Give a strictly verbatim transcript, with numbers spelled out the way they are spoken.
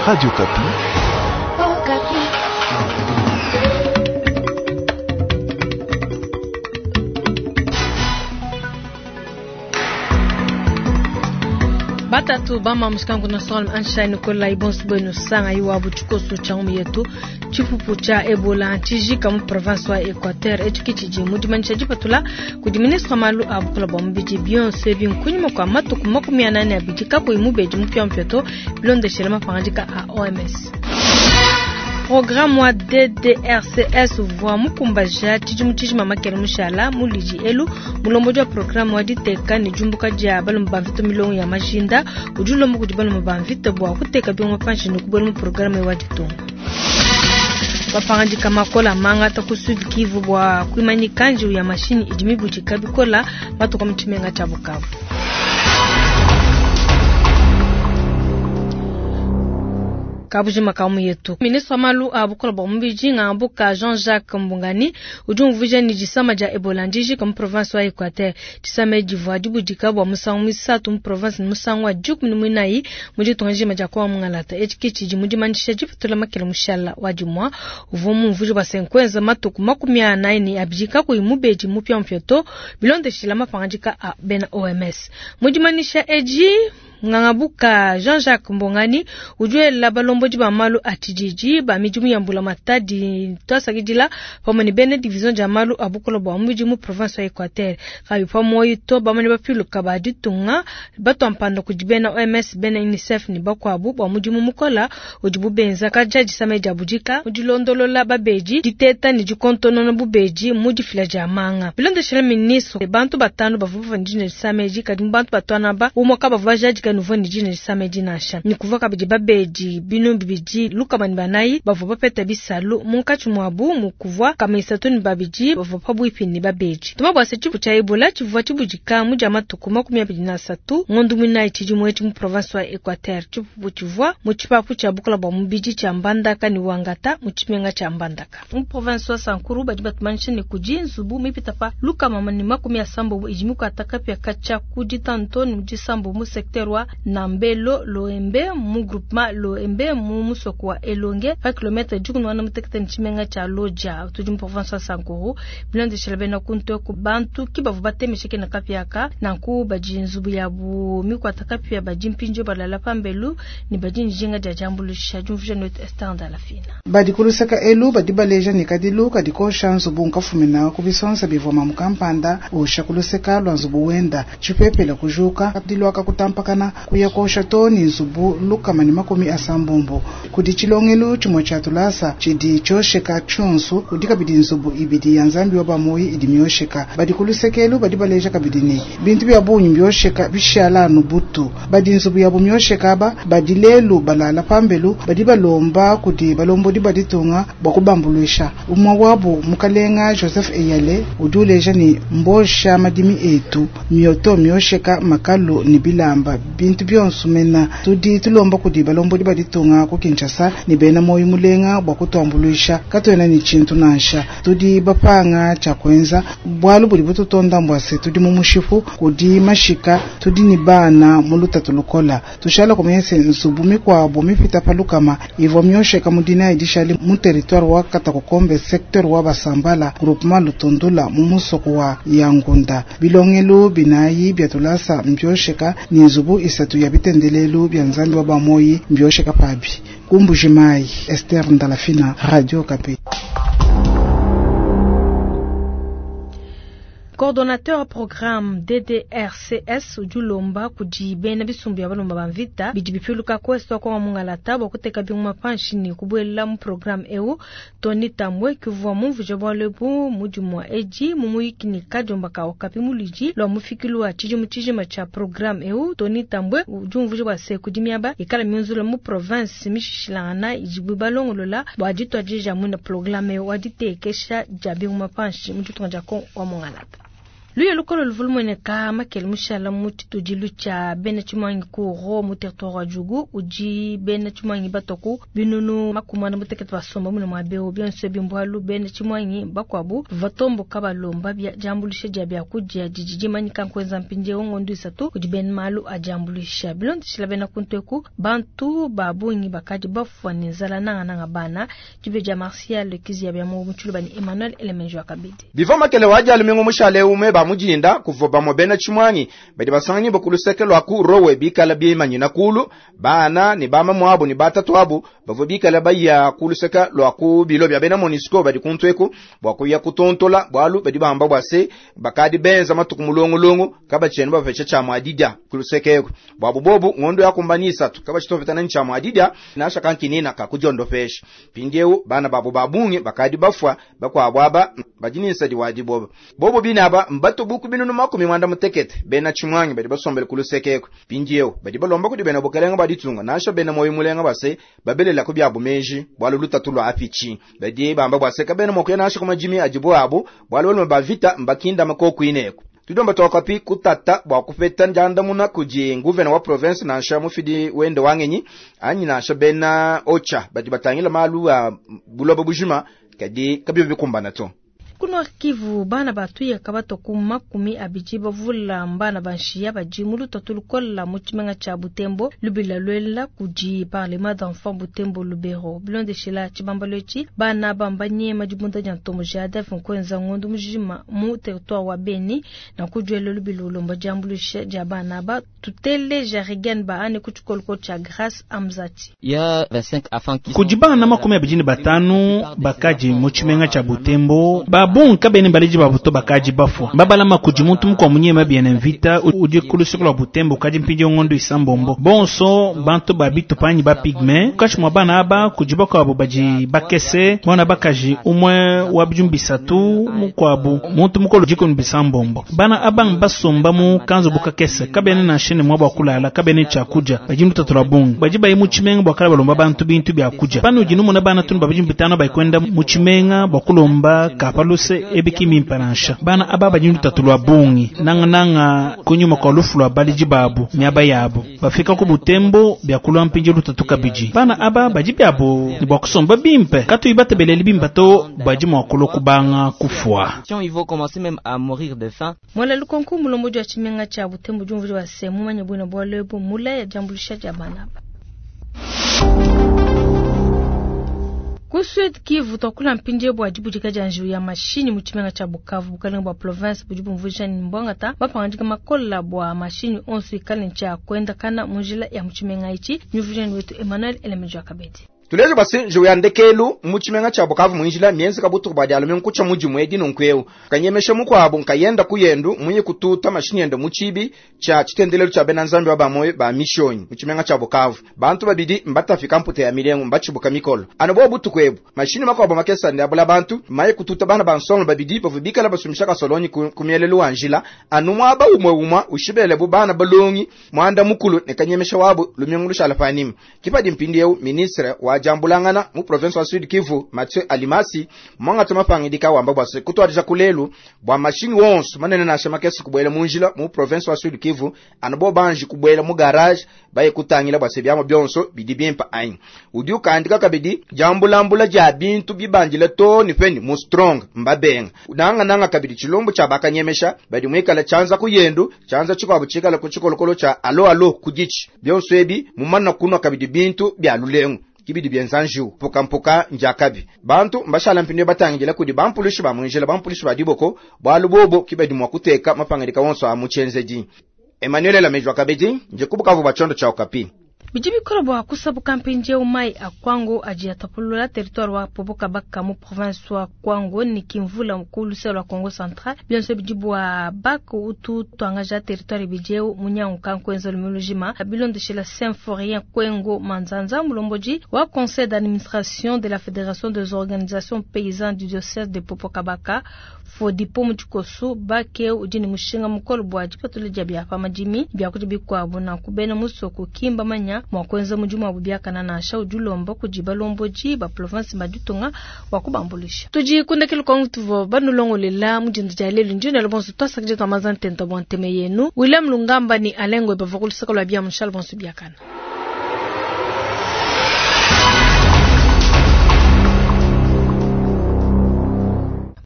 Radio Okapi. Okapi. Batatu bama mushikangu na Solomon Einstein kola ibonso bwenu sanga iwabu tshikoso tsha ngumi yetu tshipupu tsha Ebola tshijika mu province wa Equateur etshi tshidi mu dimanyisha dipatula kudi ministre wa malu a bukula bua mubidi bionso ebi nkunyima kua matuku makumi anani abidi kakuyi mubedi mupiamupia to bilondeshela mapangadika a O M S. Programme wa D D R C S uvua mukumbaja tshidimu tshijima makele mushala mulidi elu mulombodi wa programme wa diteka ne diumbuka dia balomba ba mvita milongo ya majinda udi ulomba kudi balomba ba mvita bua kuteka biongo panshi ne kubuela mu programme wa ditunga. Bapangadika makola mangata ku Sud Kivu bua kuimanyika njiwu ya mashinyi idi mibudika bikola matuku mu tshimenga tshia Bukavu. Kabujima kamu yetu. Ministre wa malu a bukula bua mubidi ngambuka Jean-Jacques Mbungani udi umvuija ni disama dia Ebola ndijika mu province wa Equateur. Disama divua dibudika bua musangu misatu mu province ne musangu wa dikumi ne muinayi mu ditunga dijima dia Kongo Mungalata. Etshi ke tshidi mu dimanyisha dipatula makele mushala wa dimua uvua mumvuije bua se nkuenza matuku makumi anayi ne abidi kakuyi mubedi mupiamupia to bilondeshila mapangadika a bena O M S. Mu dimanyisha edi Ngangabuka Jean-Jacques Mbungani udi wela balombodi ba malu a tshididi ba midimu ya mbula matadi twasakidila pamue ne bena division dia malu a bukula bua mubidi mu province wa Equateur. Kabi pa moyi to bamane bapiluka ba ditunga batwampanda kudi bena O M S bena UNICEF ne bakuabu bua mudimu mukola udibu benza kaja disama dia budika mu dilondolola babedi diteta ne dikontonona bubedi mu difila dia manga. Bilondeshela ministre bantu batanu bavua bavandine disama edi kadi mu bantu batwana ba umue kabavua bajadika nouveau ni dina disama edi nansha. Ni kuvuka kabidi babedi binu bibidi lukama ne banayi bavua bapeta bisalu munkatshi muabu mu kuvua kama isatu ne babidi bavua pabuipi ne babedi. Tuma bua se tshipu tshia Ebola tshivua tshibudika mu dia matuku makumi abidi na asatu ngondo muinayi tshidimu etshi mu province wa Equateur. Tshipupu tshivua mu tshipapu tshia bukula bua mubidi tshia Mbandaka ne Wangata mu tshimenga tshia Mbandaka. Mu province wa Sankuru badi batumanyisha ne kudi nzubu mipita pa lukama ne makumi asambo idi mikuata kapia katshia ku ditanto ne mu disambo mu secteur wa Nambelo Loembe mu groupement Loembe mu musoko wa Elonge pa kilomètre dikumi na mutekete ne tshimenga tshia Lodja tudi mu province wa Sankuru. Bilondeshela bena kuntu ku bantu ki bavua batemesheke na kapiaka nanku badi nzubu yabu mikuata kapia badi mpindio balala pambelu ne badi njinga dia diambuluisha diumvuija note Esther Ndalafina. Badi kuluseka elu badi baleja ne kadilu kadi kosha nzubu nkafumina ku bisonsa bivua mamu kampanda osha kuluseka lwa nzubu wenda tshipepele kujuka kadilu akakutampakana kuya kosha to ni nzubu lukama ne makumi asambombo kudi tshilongelu tshimue tshia tulasa tshidi tshiosheka tshionso kudi kabidi nzubu ibidi ya nzambi wa bamoyi idi miosheka badi kulusekelu badi baleja kabidi ne bintu bya bungi biosheka bishala anu butu badi nzubu yabo miosheka aba badi lelu balala pambelu badi balomba kudi balombodi baditunga bua kubambuluisha umwe wabo mukalenga Joseph Eyale udi uleja ni mbosha madimi etu mioto miosheka makalu ni bilamba bintu bionso mena tudi tulomba kudi balombodi baditunga ku Kinshasa ni bena moyo mulenga bua kutuambuluisha katuena ni tshintu nansha tudi bapanga tshia kuenza bualu budi bututonda mbwase tudi mu mushipu kudi mashika tudi ni bana mu lutatu lukola tushala kumyese nzubu mikuabo mipita palukama ivua miosheka mudina idishali mu territoire wa Katakokombe secteur wa Basambala groupement Lutundula mu musoko wa Yangunda bilongelu binayi bya tulasa mbiosheka ni nzubu isatu ya bitendelelu bya nzambi wa bamoyi mbiosheka pabi kumbujimai Esther Ndalafina, Radio Okapi. Coordonnateur programme D D R C S udi ulomba kudi bena bisumbu ya balomba ba mvita bidi bipiluka kweso kwa mungalata bua kuteka binguma panshi ne kubuela mu programme eu. Tony Tambwe kivua mumvuje bualu ebu mudimu wa edi mu muyiki ne kadiomba ka Okapi mulidi lua mufikilu wa tshidimu tshijima tshia programme eu. Tony Tambwe udi umvuja bua se kudi miaba ikala miunzula mu province mishishilangana idibu balongolola bua dituadija muina programme eu wa ditekesha dia binguma panshi mu ditunga dia Kongo wa mungalata. Luya lukolo luvua lumueneka makele mushala mu tshitudilu tshia bena tshimuangi ku Ro mu territoire wa Djugu udi bena tshimuangi batua ku binunu makumi muanda mutekete basomba mune muaba eu. Bionso ebi mbualu bena tshimuangi bakuabu batomboka balomba bia diambuluisha dia biakudia didi dimanyika nkuenza mpindieu ngondo isatu kudi bena malu a diambuluisha. Bilondeshila bena kuntu bantu ba bungi bakadi bafua ne nzala nangananga bana. Dibe dia Martial Kizia bia mu Mutshuluba ni Emmanuel Elemenjo akabidi. Bivua makele wa dia lumingu mushale ume ba mujinda kuvua bamue bena tshimuangi badi basanganyi bakuluseke lwa ku rowe bikala bimanyina kulu bana ne bamamu abo ne batatu abo bavua bikala baya kuluseka lwa ku bilo bya bena MONUSCO badi kuntweku bwa kuya kutontola bwalu badi bamba bwa se bakadi benza matuku mulongolongo kabachenu bapesha cha mwadidya kulusekeko bwabu bobu ngondo yakumbanisa tu kabachitofetana ncha mwadidya nasha kankinina kakujondofesha pindieu bana babo babunge bakadi bafwa bakwabwaba badinisa diwadi bobo bobo binaba mbatu buku binunu makumi mwanda mutekete bena chimwangi badi basombele kulusekeko pindieu badi balomba kudi bena bukalenga baditunga nasha bena moyo mulenga base babelela ku byabu meji bwalu lutatu lwa afichi badi bamba bwaseka bena mokuya nasha kumajimi ajibu abo bwalu balume bavita mbakinda makoku ineko tudomba twakapi kutata bwa kupeta njandamuna kudi nguvena wa province nansha mufidi wende wangenyi anyi nansha bena ocha badi batangila malu a buloba bujima kadi kabyo bikumbana to. Ku Nord Kivu bana batuya kabato ku makumi abidi bavula mbana banshiya badi mu lutatu lukola mu tshimenga tshia Butembo lubila lwela kudi parlement d'enfants Butembo Lubero bilondeshela tshibambalo etshi bana bambanye madibunda dia ntomo J A D F nkwenza ngondo mujima mu territoire wa Beni na kujuela lubila ulomba diambuluisha dia bana ba tutele Jarigan baane ku tshikoloko tshia Grace Amzati. Kudi bana makumi abidi ne batanu bakaji mu tshimenga tshia Butembo babunka bene baleji babuto bakaji bafwa babalama kudi muntu mukwa munyema biene mvita udi kulusuku lwa Butembo kadi mpindi ngondo isambombo bonso bantu babitupanyi ba pygme kashi mwa bana aba kudi bakwabo badi bakese mwana bakaji umwe wa bijumbi bisatu mukwabu muntu mukolo jikoni bisambombo bana abang basomba mu kanzo bukakese kabene na shene mwa bwakulala kabene chakuja badi mutatu lwa bungi badi bayi mu tshimenga bwakala balomba bantu bintu byakuja pano udi numuna bana tunu babidi bitano bayikwenda mu tshimenga bwakulomba kapaluse ebiki mimpanansha bana aba badi lutatu lwa bungi nanga nanga kunyuma kwa lufu lwa baliji babu miaba yabo bafika ku Butembo byakulwa mpinji lutatu kabidi bana aba badi byabo ni bwakusomba bimpe katuyi batebeleli bimpa to badi mwakulo kubanga kufwa. Ils vont commencer même à mourir de faim. Mwala lukonku mulomboji wa tshimenga tshia Butembo diumvuija wa se mumanye bwina bwa lebo mula ya diambuluisha dia bana aba. Ku Sud Kivu twakula mpindieu bua dibudika dia njiwu ya mashinyi mu tshimenga tshia Bukavu bukalenga bua province budi bumvuija ni mbwangata bapangandika makola bua mashinyi onso ikale ntshia kuendakana mu njila ya mu tshimenga itshi mivuija ni wetu Emmanuel Elemejo Akabedi. Tuleje basi njiwu ya ndekelu mu tshimenga tshia Bukavu mwinjila mienzi kabutuku bua dialume nkutsha mudimu edi nunkueu kanyemesha mukuabu nkayenda kuyendu munye kututa mashinyi ende mu tshibi tshia tshitendelelu tshia bena nzambi wa bamoyo ba mishonyi mu tshimenga tshia Bukavu bantu babidi mbatafika mpute ya milengo mbatshibuka mikolo ano bo butuku ebu mashinyi makuabu makesa ndabula bantu maye kututa bana bansongo babidi bavu bikala basumisha kasolonyi ku, ku mielelu wa njila anu mwaba umwe umwa ushibele bu bana balongi mwanda mukulu ne kanyemesha wabu lumingu lushala panima kipadi mpindieu ministre wa jambulangana mu province wa Sud Kivu Mathieu Alimasi mwangata mapangidika wamba bwase kutwadija kulelu bwa mashinyi wonso manene nasha makesi kubwela munjila mu province wa Sud Kivu ano banji kubwela mu garage baye kutangila bwase byamo byonso bidi bimpa anyi udi ukandika kabidi jambulambula ja bintu bibanjile to ni peni mu strong mbabenga nanga nanga kabidi chilombo cha bakanyemesha badi mwikala chanza kuyendu chanza chikwabu chikala ku chikolokolo cha alo alo kudichi byonso ebi mumana kunwa kabidi bintu bya lulengo kibidi byenza njiwu mpukampuka njakabi bantu mbashala mpindu batangila kudi bampulushi ba mwinjila bampulushi ba diboko bwalu bobo kibadi mwa kuteka mapangidika wonso a muchenzedi Emmanuel Lamejwa kabedi nje kubukavu bachondo cha Okapi. Bidi bikolo bua kusabuka mpindieu mai a Kwango adi atapulula territoire wa Popokabaka mu province wa Kwango ni kimvula mukulu luse lwa Kongo Central bionso bidi bua baka utu tuangaja territoire bidieu munyanguka nkwenza lumulujima bilondeshela Symphorien Kwengo Manzanza mulomboji wa conseil d'administration de la fédération des organisations paysannes du diocèse de Popokabaka Fodipo mu tshikoso bake udi ni mushinga mukolo bua dipatula dia bia pa madimi bia kudi bikuabu na kubena musoko kimba manya kabena mua kuenza mudimu wabu biakana nansha. Udi ulomba kudi balombodi ba province ba ditunga bua kubambuluisha. Tudi ku ndekelu kua tuvua banulongolela mu dinda dia lelu. Ndi nenu bonso tuasakidila tua manza ntenta bua ntema yenu. William Lungamba ni Alain Ngoy bavua ku luseke lua bia mushala bonso biakana.